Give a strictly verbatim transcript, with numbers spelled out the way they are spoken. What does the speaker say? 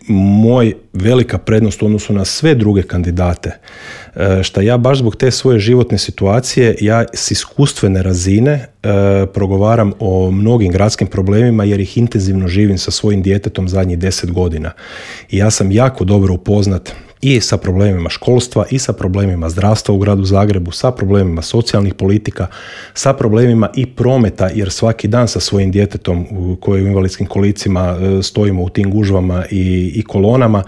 moj velika prednost u odnosu na sve druge kandidate, što ja baš zbog te svoje životne situacije, ja s iskustvene razine e, progovaram o mnogim gradskim problemima jer ih intenzivno živim sa svojim djetetom zadnjih deset godina. I ja sam jako dobro upoznat i sa problemima školstva, i sa problemima zdravstva u gradu Zagrebu, sa problemima socijalnih politika, sa problemima i prometa, jer svaki dan sa svojim djetetom koji u invalidskim kolicima stojimo u tim gužvama i, i kolonama,